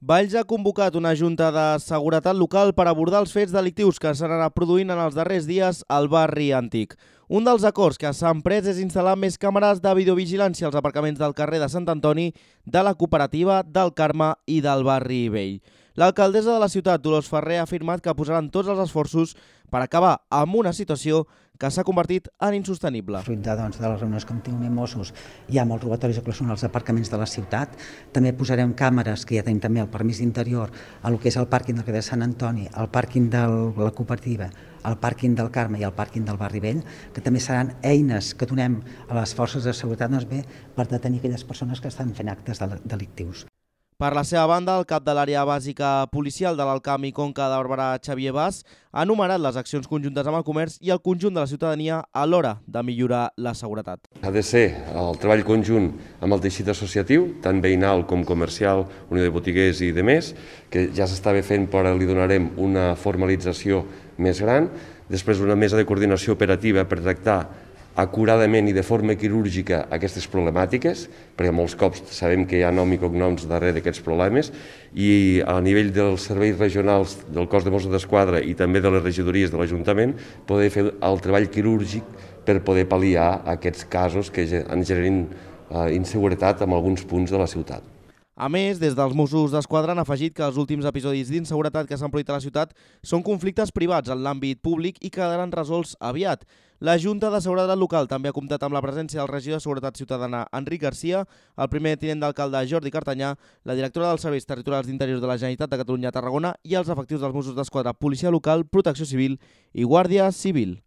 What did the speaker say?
Valls ha convocat una junta de seguretat local per abordar els fets delictius que s'han anat produint en els darrers dies al barri antic. Un dels acords que s'han pres és instal·lar més càmeres de videovigilància als aparcaments del carrer de Sant Antoni, de la Cooperativa, del Carme i del barri vell. L'alcaldessa de la ciutat, Dolors Ferrer, ha afirmat que posaran tots els esforços per acabar amb una situació que s'ha convertit en insostenible. Fruit de les reunions que hem tingut amb Mossos, hi ha molts robatoris als aparcaments de la ciutat. També posarem càmeres, que ja tenim també el permís d'interior, a lo que és el pàrquing del carrer de Sant Antoni, el pàrquing de la Cooperativa, el pàrquing del Carme i el pàrquing del barri vell, que també seran eines que donem a les forces de seguretat per detenir aquelles persones que estan fent actes delictius. Per la seva banda, el cap de l'àrea bàsica policial de l'Alcamp i Conca de Barberà, Xavier Bas, ha enumerat les accions conjuntes amb el comerç i el conjunt de la ciutadania a l'hora de millorar la seguretat. Ha de ser el treball conjunt amb el teixit associatiu, tant veïnal com comercial, Unió de Botiguers i demés, que ja s'estava fent però li donarem una formalització més gran. Després una mesa de coordinació operativa per tractar acuradament i de forma quirúrgica aquestes problemàtiques, perquè molts cops sabem que hi ha nom i cognoms darrere d'aquests problemes, i a nivell dels serveis regionals del cos de Mossos d'Esquadra i també de les regidories de l'Ajuntament poder fer el treball quirúrgic per poder pal·liar aquests casos que ens generin inseguretat en alguns punts de la ciutat. A més, des dels Mossos d'Esquadra han afegit que els últims episodis d'inseguretat que s'han produït a la ciutat són conflictes privats en l'àmbit públic i quedaran resolts aviat. La Junta de Seguretat Local també ha comptat amb la presència del regidor de Seguretat Ciutadana, Enric Garcia, el primer tinent d'alcalde, Jordi Cartanyà, la directora dels Serveis Territorials d'Interior de la Generalitat de Catalunya a Tarragona i els efectius dels Mossos d'Esquadra, Policia Local, Protecció Civil i Guàrdia Civil.